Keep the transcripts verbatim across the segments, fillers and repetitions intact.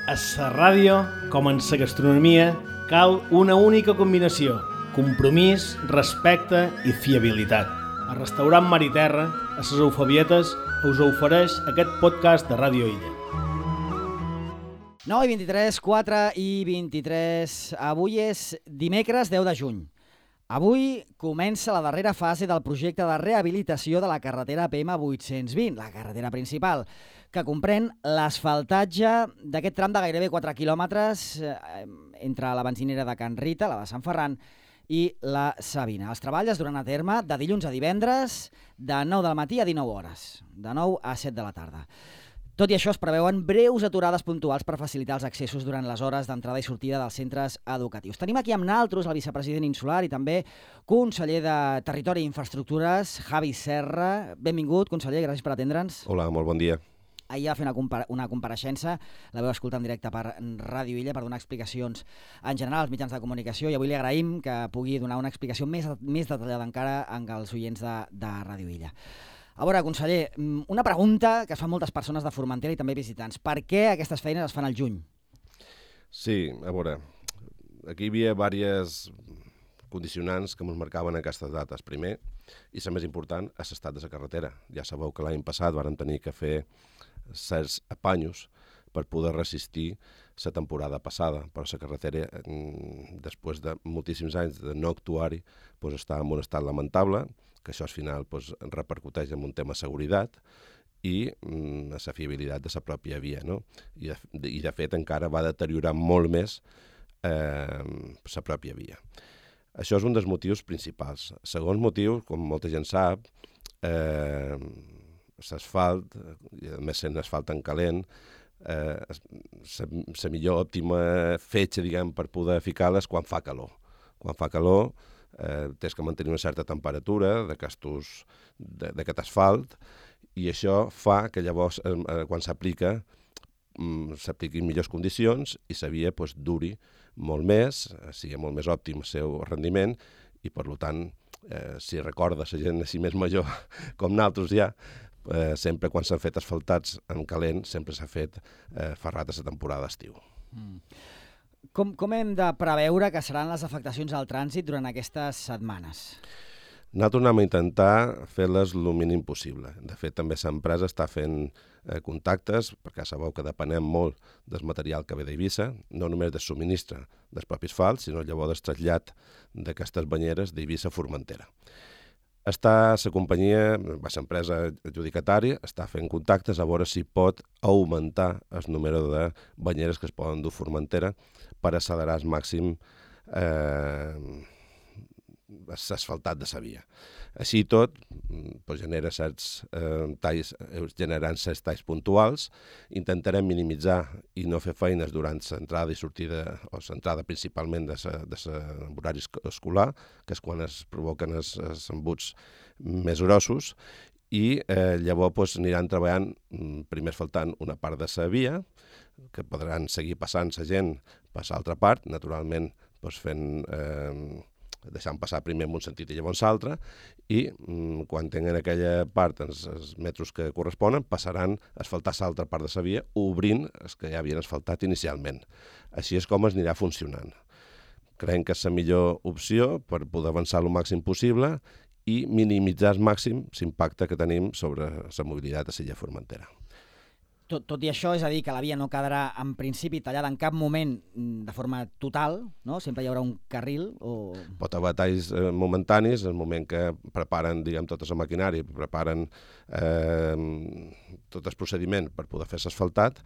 A la ràdio, com en la gastronomia, cal una única combinació: compromís, respecte i fiabilitat. El restaurant Mar i Terra, a les Eufabietes, us ofereix aquest podcast de Ràdio Illa. nou i vint-i-tres, quatre i vint-i-tres. Avui és dimecres deu de juny. Avui comença la darrera fase del projecte de rehabilitació de la carretera P M vuit-cents vint, la carretera principal, que comprèn l'asfaltatge d'aquest tram de gairebé quatre quilòmetres eh, entre la benzinera de Can Rita, la de Sant Ferran, i la Sabina. Els treballs es duran a terme de dilluns a divendres, de nou del matí a dinou hores, de nou a set de la tarda. Tot i això, es preveuen breus aturades puntuals per facilitar els accessos durant les hores d'entrada i sortida dels centres educatius. Tenim aquí amb naltros el vicepresident insular i també conseller de Territori i Infraestructures, Javi Serra. Benvingut, conseller, gràcies per atendre'ns. Hola, molt bon dia. Ahir va fer una, compara una compareixença, la veu escoltar en directe per Ràdio Illa per donar explicacions en general als mitjans de comunicació, i avui li agraïm que pugui donar una explicació més, més detallada encara als oients de, de Ràdio Illa. A veure, conseller, una pregunta que es fan moltes persones de Formentera i també visitants. Per què aquestes feines es fan al juny? Sí, a veure, aquí hi havia diverses condicionants que ens marcaven aquestes dates. Primer, i la més important, és l'estat de la carretera. Ja sabeu que l'any passat vàrem tenir que fer certs apanyos per poder resistir la temporada passada, però la carretera, després de moltíssims anys de no actuar-hi, doncs està en un estat lamentable, que això al final doncs, repercuteix en un tema de seguretat i mm, la fiabilitat de la pròpia via, no? I, de, I de fet encara va deteriorar molt més eh, la pròpia via. Això és un dels motius principals. Segon motiu, com molta gent sap, eh, l'asfalt, i a més sent asfalt en calent, eh, la millor òptima fetge, diguem, per poder ficar-la és quan fa calor. Quan fa calor, eh, tens que mantenir una certa temperatura d'aquest asfalt, i això fa que llavors, eh, quan s'aplica, mm, s'apliqui en millors condicions i la via pues, duri molt més, sigui molt més òptim el seu rendiment, i per tant, eh, si recorda la gent així més major com nosaltres ja, eh, sempre quan s'han fet asfaltats en calent, sempre s'ha fet eh, ferrat a la temporada d'estiu. Mm. Com, com hem de preveure que seran les afectacions al trànsit durant aquestes setmanes? Nosaltres anem a intentar fer-les el mínim possible. De fet, també l'empresa està fent eh, contactes, perquè sabeu que depenem molt del material que ve d'Eivissa, no només del subministre dels propis asfalts, sinó llavors del trasllat d'aquestes banyeres d'Eivissa a Formentera. Està la companyia, l'empresa adjudicatària, està fent contactes a veure si pot augmentar el número de banyeres que es poden dur a Formentera per accelerar al màxim eh, l'asfaltat de la via. Així i tot, doncs, genera certs eh, talls, generant certs talls puntuals. Intentarem minimitzar i no fer feines durant l'entrada i sortida, o l'entrada principalment de l'horari escolar, que és quan es provoquen els, els embuts més grossos, i eh, llavors doncs, aniran treballant, primer asfaltant una part de la via, que podran seguir passant la gent per l'altra part, naturalment doncs, fent... Eh, deixant passar primer en un sentit i llavors l'altre, i mm, quan tenen aquella part, els, els metres que corresponen, passaran a asfaltar l'altra part de la via, obrint els que ja havien asfaltat inicialment. Així és com es anirà funcionant. Creiem que és la millor opció per poder avançar el màxim possible i minimitzar al màxim l'impacte que tenim sobre la mobilitat a l'illa Formentera. Tot, tot i això, és a dir, que la via no quedarà en principi tallada en cap moment de forma total, no? Sempre hi haurà un carril o... Pot haver talls eh, momentanis, en el moment que preparen, diguem, tota la maquinària, preparen eh, tot el procediment per poder fer l'asfaltat,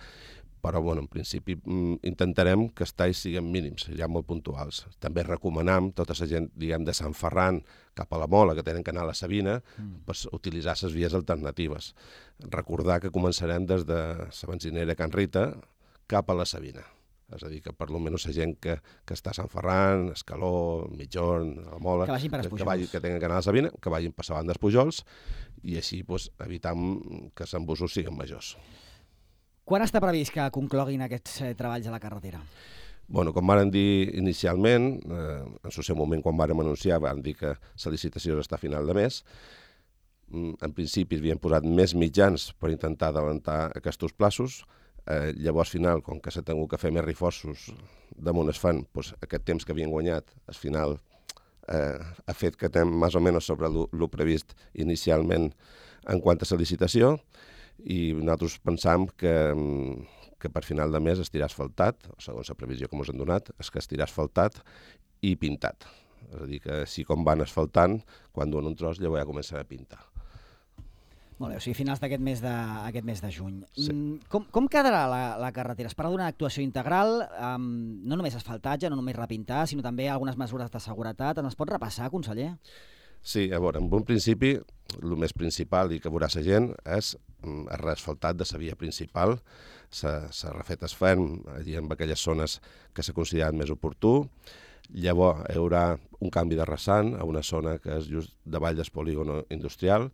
però, bueno, en principi intentarem que els talls siguin mínims, ja molt puntuals. També recomanem tota la gent, diguem, de Sant Ferran cap a la Mola, que tenen que anar a la Sabina, mm. per utilitzar les vies alternatives. Recordar que començarem des de la benzinera Can Rita cap a la Sabina. És a dir, que per almenys la gent que, que està a Sant Ferran, Escaló, Mitjorn, la Mola, que, per que, vagi, que tenen que anar a la Sabina, que vagin per la banda dels Pujols, i així pues, evitam que els embussos siguin majors. Quan està previst que concloguin aquests eh, treballs a la carretera? Bueno, com vàrem dir inicialment, eh, en el seu moment quan vàrem anunciar, vàrem dir que la licitació està a final de mes. En principi havíem posat més mitjans per intentar adelantar aquests plaços. Eh, llavors, al final, com que s'ha tingut que fer més reforços damunt es fan, doncs, aquest temps que havien guanyat, al final eh, ha fet que estem més o menys sobre el previst inicialment en quant a la licitació, i nosaltres pensam que, que per final de mes estirà asfaltat, segons la previsió que ens han donat, és que estirà asfaltat i pintat. És a dir, que si com van asfaltant, quan duen un tros, llavors ja començarà a pintar. Molt bé, o sigui, finals d'aquest mes de, aquest mes de juny. Sí. Com, com quedarà la, la carretera? Es parla d'una actuació integral, um, no només asfaltatge, no només repintar, sinó també algunes mesures de seguretat. Ens pot repassar, conseller? Sí, a veure, en un principi, el més principal i que veurà la gent és el reasfaltat de la via principal. S'ha refet el ferm allí en aquelles zones que s'ha considerat més oportú. Llavors hi haurà un canvi de rasant a una zona que és just davall del polígon industrial.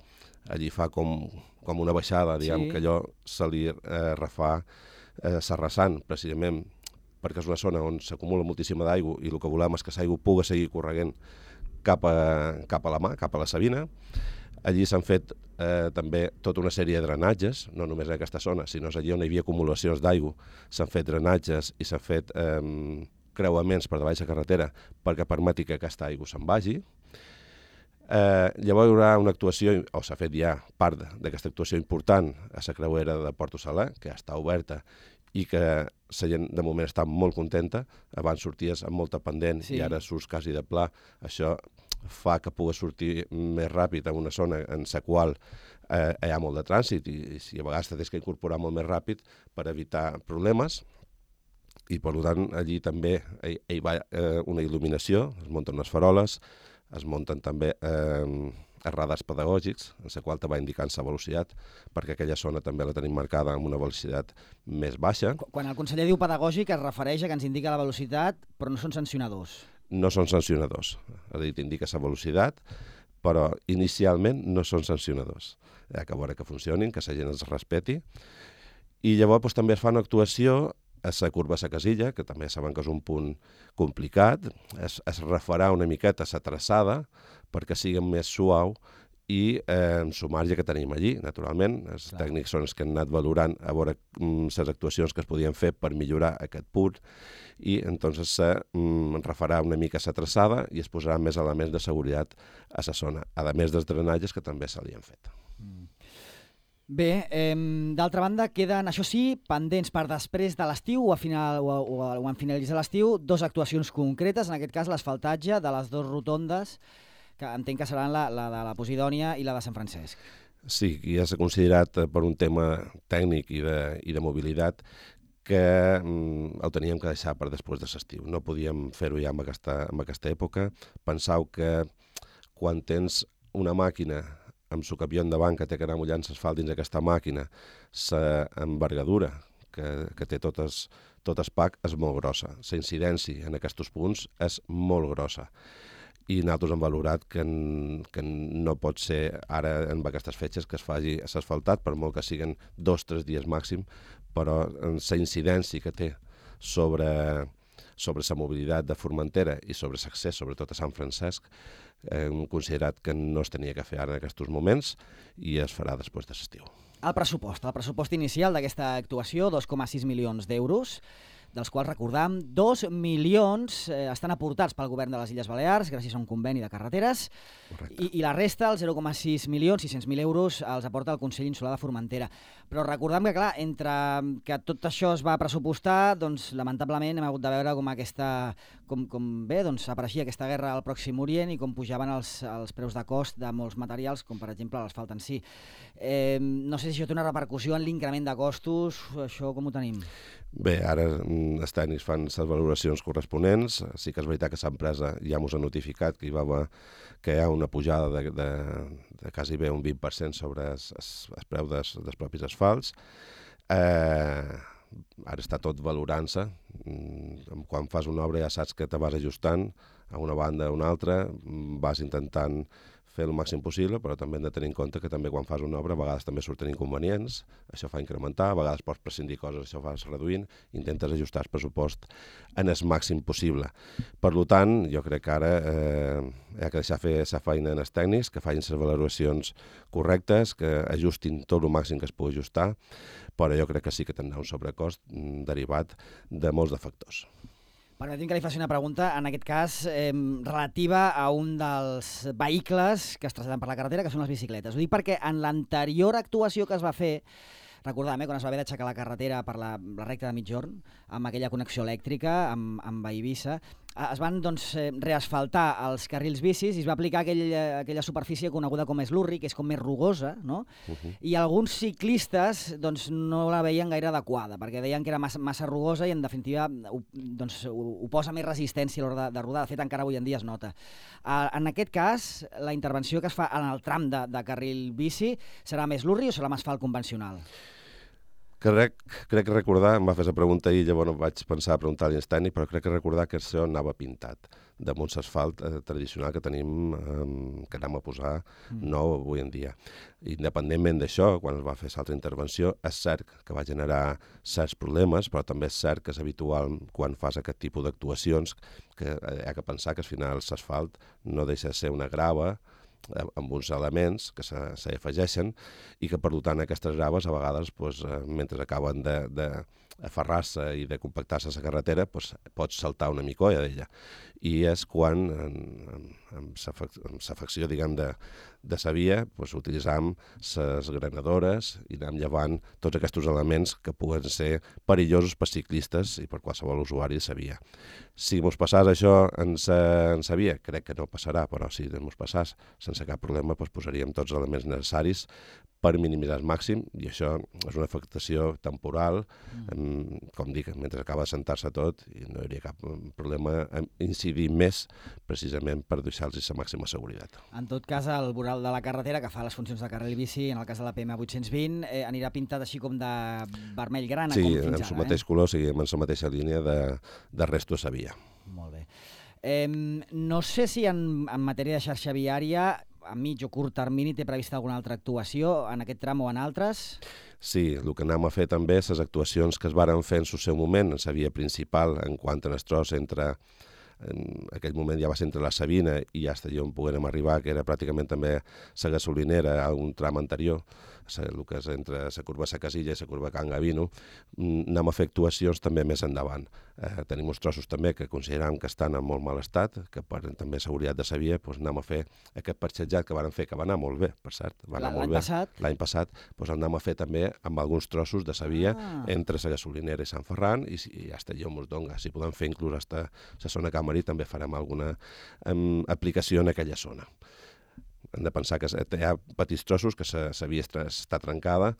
Allí fa com, com una baixada, diguem, sí. que allò se li eh, refà eh, s'arrasant, precisament perquè és una zona on s'acumula moltíssima d'aigua i el que volem és que l'aigua pugui seguir correguent cap a, cap a la mà, cap a la Sabina. Allí s'han fet eh, també tota una sèrie de drenatges, no només en aquesta zona, sinó allí on hi havia acumulacions d'aigua. S'han fet drenatges i s'han fet eh, creuaments per davall la carretera perquè permeti que aquesta aigua se'n vagi. Eh, llavors hi haurà una actuació, o s'ha fet ja part d'aquesta actuació important a la creuera de Porto Saler, que ja està oberta i que la gent de moment està molt contenta. Abans sorties amb molta pendent sí. i ara surts quasi de pla. Això fa que pugui sortir més ràpid en una zona en la qual eh, hi ha molt de trànsit i, i si a vegades t'has que incorporar molt més ràpid per evitar problemes. I per tant allí també hi, hi va eh, una il·luminació, es munten unes faroles, es munten també eh, radars pedagògics, en la qual te va indicant la velocitat, perquè aquella zona també la tenim marcada amb una velocitat més baixa. Quan el conseller diu pedagògic es refereix a que ens indica la velocitat, però no són sancionadors. No són sancionadors, és a dir, t'indica la velocitat, però inicialment no són sancionadors. Hi ha que veure que funcionin, que la gent els respeti. I llavors doncs, també es fa una actuació a la curva de la Casilla, que també saben que és un punt complicat, es, es refarà una miqueta a la traçada perquè sigui més suau i eh, en el marge que tenim allí, naturalment. Els Clar. tècnics són els que han anat valorant a veure les actuacions que es podien fer per millorar aquest punt i entonces se mm, refarà una mica la traçada i es posaran més elements de seguretat a la zona, a més dels drenatges que també se li han fet. Mm. Bé, eh, d'altra banda, queden, això sí, pendents per després de l'estiu o, a final, o, o, o en finalitzar l'estiu, dues actuacions concretes, en aquest cas l'asfaltatge de les dues rotondes, que entenc que seran la, la de la Posidònia i la de Sant Francesc. Sí, ja s'ha considerat per un tema tècnic i de, i de mobilitat que mm, el teníem que deixar per després de l'estiu. No podíem fer-ho ja en aquesta, en aquesta època. Pensau que quan tens una màquina amb el camió endavant que té que anar mullant l'asfalt dins aquesta màquina, l'envergadura que, que té totes, tot el pack és molt grossa. La incidència en aquests punts és molt grossa. I nosaltres hem valorat que, que no pot ser ara en aquestes fetges que es faci asfaltat, per molt que siguin dos o tres dies màxim, però la incidència que té sobre, sobre la mobilitat de Formentera i sobre l'accés, sobretot a Sant Francesc, hem considerat que no es tenia que fer ara en aquests moments i es farà després de l'estiu. El pressupost, el pressupost inicial d'aquesta actuació, dos coma sis milions d'euros, dels quals, recordam, dos milions eh, estan aportats pel govern de les Illes Balears gràcies a un conveni de carreteres i, i la resta, els zero coma sis milions, sis-cents mil euros, els aporta el Consell Insular de Formentera. Però recordam que, clar, entre que tot això es va pressupostar, doncs, lamentablement hem hagut de veure com aquesta, com, com bé, doncs, apareixia aquesta guerra al Pròxim Orient i com pujaven els, els preus de cost de molts materials, com per exemple l'asfalt en si. Eh, no sé si això té una repercussió en l'increment de costos, això com ho tenim? Bé, ara els tècnics fan les valoracions corresponents. Sí que és veritat que l'empresa ja ens ha notificat que hi va haver, que hi ha una pujada de, de, de quasi bé un vint per cent sobre el, el preu des, dels propis asfalts. Eh, ara està tot valorant-se. Quan fas una obra ja saps que te vas ajustant a una banda o una altra, vas intentant fer el màxim possible, però també hem de tenir en compte que també quan fas una obra a vegades també surten inconvenients, això fa incrementar, a vegades pots prescindir coses, això fas reduint, intentes ajustar el pressupost en el màxim possible. Per tant, jo crec que ara eh, hi ha que deixar fer la feina en els tècnics, que facin les valoracions correctes, que ajustin tot el màxim que es pugui ajustar, però jo crec que sí que tindrà un sobrecost derivat de molts de factors. Permetim que li faci una pregunta, en aquest cas, eh, relativa a un dels vehicles que es traslladen per la carretera, que són les bicicletes. Ho dic perquè en l'anterior actuació que es va fer, recordàvem, eh, quan es va haver d'aixecar la carretera per la, la recta de migjorn, amb aquella connexió elèctrica, amb, amb Eivissa, es van doncs, reasfaltar els carrils bicis i es va aplicar aquell, aquella superfície coneguda com eslurri, que és com més rugosa, no? Uh-huh. I alguns ciclistes doncs, no la veien gaire adequada, perquè deien que era massa, massa rugosa i en definitiva ho, doncs, ho, ho posa més resistència a l'hora de, de rodar. De fet, encara avui en dia es nota. Uh, en aquest cas, la intervenció que es fa en el tram de, de carril bici serà més eslurri o serà amb asfalt convencional? Crec, crec recordar, em va fer la pregunta ahir, llavors no vaig pensar a preguntar a l'instànic, però crec que recordar que això anava pintat damunt l'asfalt eh, tradicional que tenim, eh, que anem a posar nou avui en dia. Independentment d'això, quan es va fer l'altra intervenció, és cert que va generar certs problemes, però també és cert que és habitual quan fas aquest tipus d'actuacions, que hi ha que pensar que al final l'asfalt no deixa de ser una grava, amb uns elements que s'hi afegeixen i que, per tant, aquestes graves a vegades, doncs, mentre acaben de, de aferrar-se i de compactar-se a la carretera, doncs, pots saltar una micolla d'ella. I és quan, amb l'afecció, diguem, de, de sa via, doncs, utilitzam les granadores i anem llevant tots aquests elements que puguen ser perillosos per ciclistes i per qualsevol usuari de sa via. Si mos passàs això en sa via, crec que no passarà, però si mos passàs sense cap problema, doncs posaríem tots els elements necessaris per minimitzar al màxim, i això és una afectació temporal, mm. com dic, mentre acaba de sentar-se tot, i no hi hauria cap problema en incidir més precisament per deixar-los la màxima seguretat. En tot cas, el voral de la carretera, que fa les funcions de carril bici, en el cas de la P M vuit-cents vint, eh, anirà pintat així com de vermell grana, sí, com fins ara. Sí, en el mateix eh? color, seguim en la mateixa línia de, de resto de sa via. Molt bé. Eh, no sé si en, en matèria de xarxa viària, a mig o curt termini, té prevista alguna altra actuació en aquest tram o en altres? Sí, el que anem a fer també, les actuacions que es varen fer en el seu moment, en la via principal, en quant a el tros entre... en aquell moment ja va ser entre la Sabina i fins allà on poguérem arribar, que era pràcticament també la gasolinera a un tram anterior, el que és entre la curva Sa Casilla i la curva Can Gavino, anem a fer actuacions també més endavant. Eh, tenim uns trossos també que considerem que estan en molt mal estat, que per també seguretat de sa via, doncs anem a fer aquest parxetjat que van fer, que va anar molt bé, per cert. L'any passat? L'any passat, doncs anem a fer també amb alguns trossos de sa via ah. entre la gasolinera i Sant Ferran, i, i fins allà on ens dona. Si podem fer inclús fins a la zona Camarí, també farem alguna um, aplicació en aquella zona. Hem de pensar que hi ha petits trossos que la via està trencada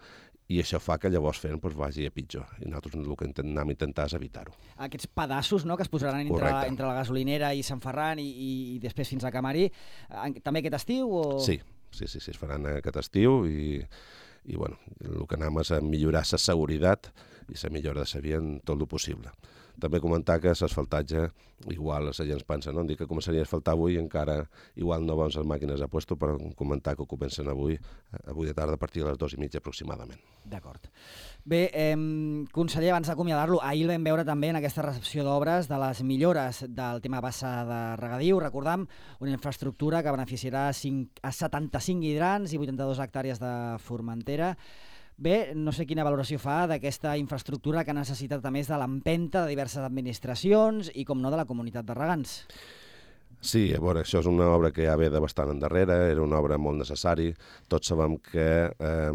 i això fa que llavors fent doncs, vagi a pitjor. I nosaltres el que anem a intentar és evitar-ho. Aquests pedaços, no?, que es posaran entre la, entre la gasolinera i Sant Ferran i, i, i després fins a Camarí, també aquest estiu? O... Sí, sí, sí, sí, es faran aquest estiu i, i bueno, el que anem és a millorar la seguretat i la millora de la via en tot el possible. També comentar que l'asfaltatge, igual la gent es pensa, no? Dic que començaria a asfaltar avui i encara igual no van les màquines a puesto, però comentar que ho comencen avui, avui de tarda a partir de les dues i mitja aproximadament. D'acord. Bé, eh, conseller, abans d'acomiadar-lo, ahir el vam veure també en aquesta recepció d'obres de les millores del tema bassa de regadiu. Recordam, una infraestructura que beneficiarà a setanta-cinc hidrants i vuitanta-dues hectàrees de Formentera. Bé, no sé quina valoració fa d'aquesta infraestructura que ha necessitat a més de l'empenta de diverses administracions i, com no, de la comunitat de regants. Sí, a veure, això és una obra que ja ve de bastant endarrere, era una obra molt necessari. Tots sabem que eh,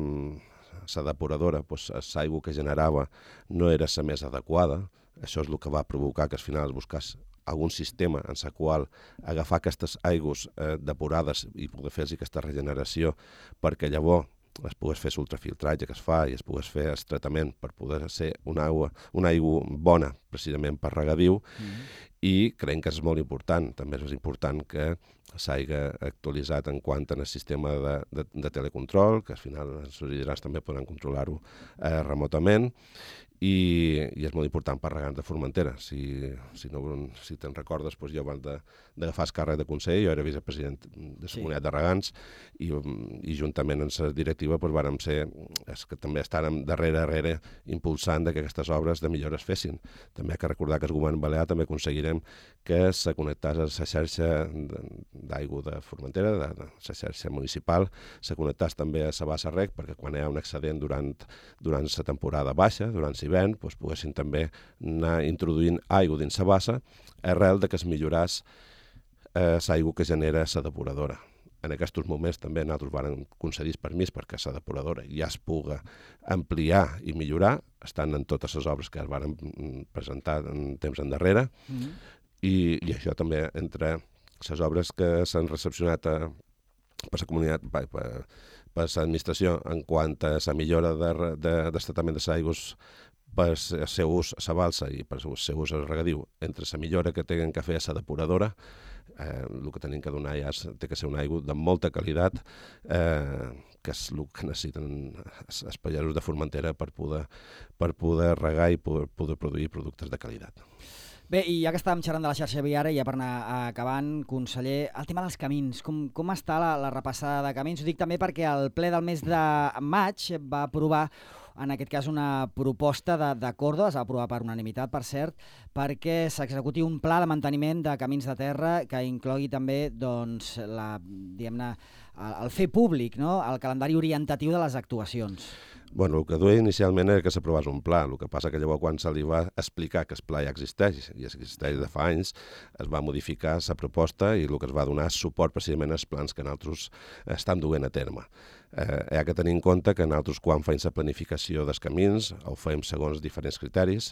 la depuradora, doncs, l'aigua que generava no era la més adequada. Això és el que va provocar que al final es buscés algun sistema en el qual agafar aquestes aigües eh, depurades i poder fer aquesta regeneració perquè llavors es pogués fer l'ultrafiltratge que es fa i es pogués fer el tractament per poder ser una aigua, una aigua bona precisament per regadiu, mm-hmm. i creiem que és molt important. També és important que s'hagi actualitzat en quant al sistema de, de, de telecontrol, que al final els hidrants també poden controlar-ho eh, remotament, i, i és molt important per regants de Formentera. Si, si, no, si te'n recordes, doncs jo abans d'agafar el càrrec de consell, jo era vicepresident de la sí. comunitat de regants i, i juntament amb la directiva doncs, vàrem ser els que també estàvem darrere darrere impulsant que aquestes obres de millora es fessin. També hi ha que recordar que el govern balear també aconseguirem que se connectés a la xarxa d'aigua de Formentera, de, de la xarxa municipal, se connectés també a la bassa rec, perquè quan hi ha un excedent durant, durant la temporada baixa, durant l'hivern, doncs poguessin també anar introduint aigua dins la bassa arrel de que es milloràs eh, l'aigua que genera la depuradora. En aquests moments també nosaltres vam concedir permís perquè la depuradora ja es pugui ampliar i millorar, estan en totes les obres que es van presentar en temps endarrere, mm-hmm. i, i això també entre les obres que s'han recepcionat a, per la comunitat, per, per, per l'administració en quant a la millora de, de, d'estatament de les aigües per el seu ús a la balsa i per el seu ús al regadiu, entre la millora que tenen que fer a la depuradora, eh, el que tenim que donar ja és, té que ser una aigua de molta qualitat, eh, que és el que necessiten els pagesos de Formentera per poder, per poder regar i poder, poder produir productes de qualitat. Bé, i ja que estàvem xerrant de la xarxa viària, ja per anar acabant, conseller, el tema dels camins, com, com està la, la repassada de camins? Ho dic també perquè el ple del mes de maig va aprovar, en aquest cas, una proposta d'acord, es va aprovar per unanimitat, per cert, perquè s'executi un pla de manteniment de camins de terra que inclogui també, doncs, la, diguem-ne, el fer públic, no?, el calendari orientatiu de les actuacions. Bueno, el que duia inicialment era que s'aprovés un pla, el que passa que llavors quan se li va explicar que el pla ja existeix, i existeix de fa anys, es va modificar la proposta i el que es va donar suport precisament als plans que nosaltres estem duent a terme. Eh, hi ha que tenir en compte que nosaltres quan fem la planificació dels camins ho fem segons diferents criteris,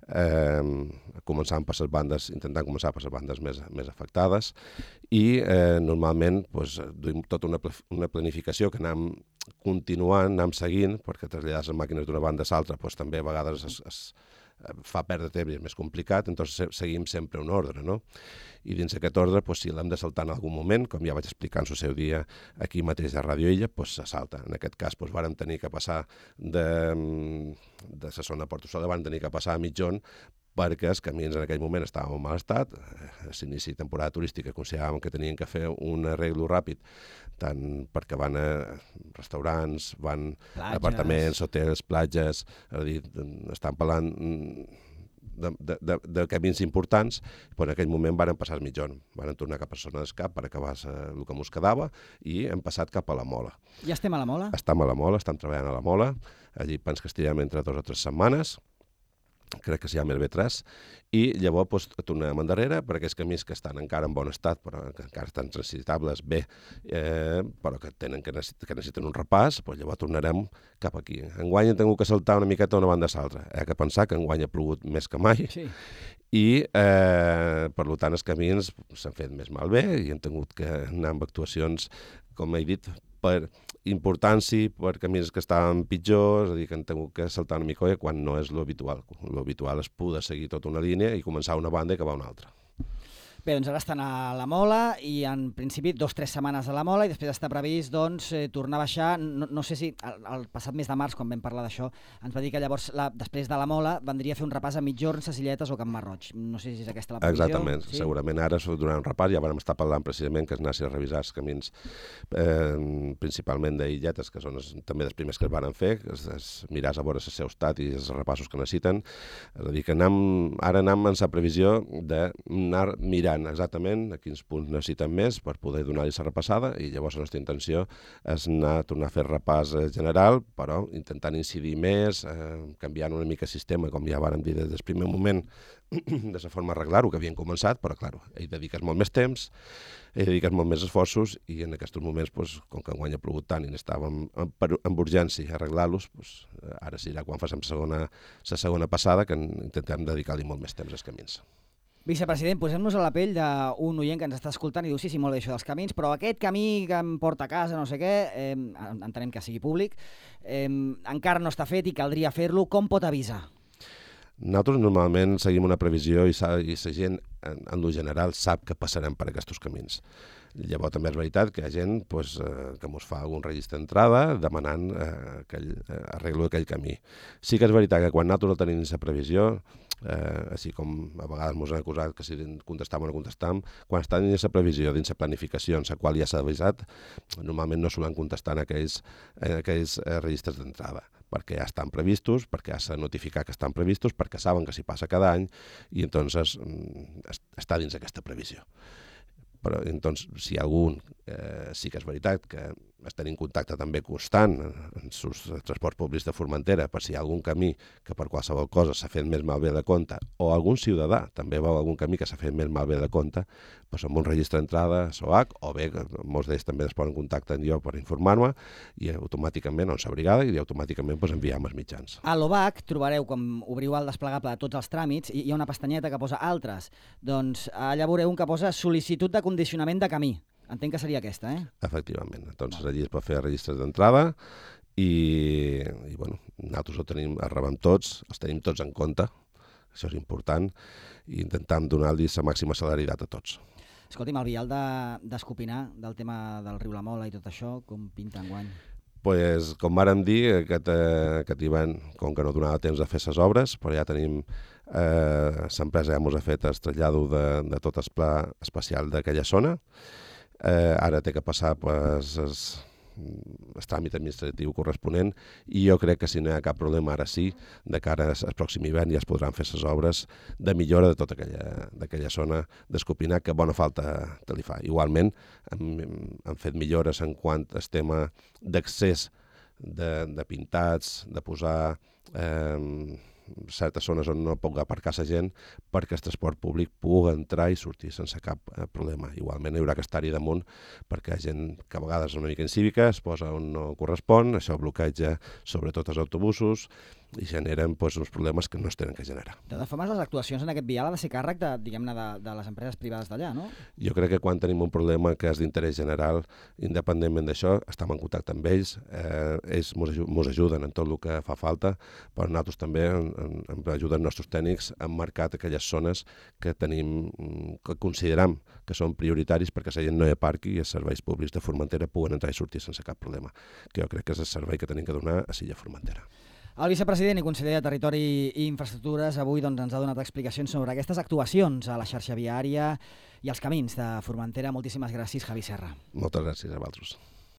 eh, començant per les bandes, intentant començar per les bandes més, més afectades i eh, normalment doncs, duim tota una, una planificació que anem continuant, anem seguint, perquè traslladar les màquines d'una banda a l'altra doncs, també a vegades es, es fa perdre temps i és més complicat, doncs seguim sempre un ordre, no? I dins aquest ordre, doncs, si l'hem de saltar en algun moment, com ja vaig explicar en el seu dia aquí mateix a Ràdio Illa, doncs se salta. En aquest cas, doncs, vàrem tenir que passar de, de la zona de Portosola, vàrem tenir que passar a mitjon, perquè els camins en aquell moment estaven en mal estat, a l'inici de temporada turística consideràvem que tenien que fer un arreglo ràpid, tant perquè van a restaurants, van a apartaments, hotels, platges, és a dir, estan parlant de, de, de, de camins importants, però en aquell moment van passar al mitjon, van tornar cap a Zona d'Escap per acabar el que ens quedava i hem passat cap a la Mola. Ja estem a la Mola? Estem a la Mola, estem treballant a la Mola, allí penso que estirem entre dues o tres setmanes, crec que s'hi ha el B tres, i llavors doncs, tornem endarrere per aquells camins que estan encara en bon estat, però que encara estan transitables bé, eh, però que, tenen, que, necessiten, que necessiten un repàs, doncs llavors tornarem cap aquí. Enguany hem tingut que saltar una miqueta d'una banda a l'altra. Hi ha que pensar que enguany ha plogut més que mai, sí. i eh, per tant els camins s'han fet més malbé i hem tingut que anar amb actuacions, com he dit, per importància, per camins que estaven pitjors, és a dir, que han tingut que saltar una mica quan no és l'habitual. L'habitual és poder seguir tota una línia i començar una banda i acabar una altra. Bé, doncs ara estan a la Mola i en principi dos o tres setmanes a la Mola i després està previst doncs, eh, tornar a baixar, no, no sé si el, el passat mes de març, quan vam parlar d'això, ens va dir que llavors la, després de la Mola vendria a fer un repàs a Mitjorn, Sacilletes o Camp Marroig. No sé si és aquesta la previsió. Exactament, sí? Segurament ara s'ha donat un repàs, ja vam estar parlant precisament que es anessin a revisar els camins eh, principalment d'Illetes, que són els, també els primers que es van fer, es, es miràs a veure el seu estat i els repassos que necessiten. És a dir, que anem, ara anem en la previsió d'anar mirant exactament a quins punts necessiten més per poder donar-li la repassada i llavors la nostra intenció és anar a tornar a fer repàs general, però intentant incidir més, eh, canviant una mica el sistema, com ja vàrem dir des del primer moment, de la forma d'arreglar-ho, que havien començat, però clar, hi dediques molt més temps, hi dediques molt més esforços i en aquests moments, doncs, com que enguany ha plogut tant i estàvem amb urgència a arreglar-los, doncs, ara serà quan facem la segona, la segona passada que intentem dedicar-li molt més temps als camins. Vicepresident, posem-nos a la pell d'un oient que ens està escoltant i diu sí, sí, molt bé això dels camins, però aquest camí que em porta a casa, no sé què, eh, entenem que sigui públic, eh, encara no està fet i caldria fer-lo. Com pot avisar? Nosaltres normalment seguim una previsió i la gent en, en lo general, sap que passarem per aquests camins. Llavors també és veritat que hi ha gent pues, eh, que ens fa algun registre d'entrada demanant eh, aquell, eh, arreglo d'aquell camí. Sí que és veritat que quan nosaltres no tenim aquesta previsió, eh, així com a vegades ens han acusat que si contestam o no contestam, quan estan en aquesta previsió, dins la planificació en la qual ja s'ha avisat, normalment no solen contestar en aquells, en aquells eh, registres d'entrada, perquè ja estan previstos, perquè ja s'ha notificat que estan previstos, perquè saben que s'hi passa cada any i entonces està dins aquesta previsió. Però, doncs, si hi ha algun, eh, sí que és veritat que estem en contacte també constant en els transports públics de Formentera per si hi ha algun camí que per qualsevol cosa s'ha fet més malbé de compte o algun ciutadà també veu algun camí que s'ha fet més malbé de compte, doncs amb un registre d'entrada S O H o bé, molts d'ells també es posen en contacte amb jo per informar-me i automàticament, on s'ha brigada, i automàticament doncs, enviem els mitjans. A l'O B A C trobareu, quan obriu el desplegable de tots els tràmits, hi ha una pestanyeta que posa altres. Doncs allà veureu un que posa sol·licitud de condicionament de camí. Entenc que seria aquesta, eh? Efectivament. Doncs allí es pot fer registres d'entrada i, i bueno, nosaltres ho tenim, els rebem tots, els tenim tots en compte, això és important, i intentem donar-los la màxima celeritat a tots. Escolti'm, el vial d'Escopinar, de, del tema del riu La Mola i tot això, com pinta enguany? Pues, com vàrem dir, aquest, aquest hivern, com que no donava temps de fer les obres, però ja tenim, eh, l'empresa ja ens ha fet el trasllat de, de tot el pla especial d'aquella zona. Eh, ara té que passar pues, el, el tràmit administratiu corresponent i jo crec que si no hi ha cap problema ara sí, de cara al pròxim hivern ja es podran fer les obres de millora de tota aquella, d'aquella zona d'Escopinar que bona falta te li fa. Igualment hem, hem fet millores en quant al tema d'accés de, de pintats, de posar eh, certes zones on no pot aparcar la gent perquè el transport públic pugui entrar i sortir sense cap eh, problema. Igualment hi haurà que estar-hi damunt perquè hi ha gent que a vegades és una mica incívica, es posa on no correspon, això bloqueja sobretot els autobusos i generen pues, uns problemes que no es tenen que generar. De totes formes, les actuacions en aquest vial ha de ser càrrec de, diguem-ne, de, de les empreses privades d'allà, no? Jo crec que quan tenim un problema que és d'interès general, independentment d'això, estem en contacte amb ells, eh, ells ens ajuden en tot el que fa falta, però nosaltres també ens ajuden els nostres tècnics a marcar aquelles zones que tenim, que consideram que són prioritaris perquè la gent no hi aparqui i els serveis públics de Formentera puguen entrar i sortir sense cap problema, que jo crec que és el servei que tenim que donar a Silla Formentera. El vicepresident i conseller de Territori i Infraestructures avui doncs, ens ha donat explicacions sobre aquestes actuacions a la xarxa viària i els camins de Formentera. Moltíssimes gràcies, Javi Serra. Moltes gràcies a vosaltres.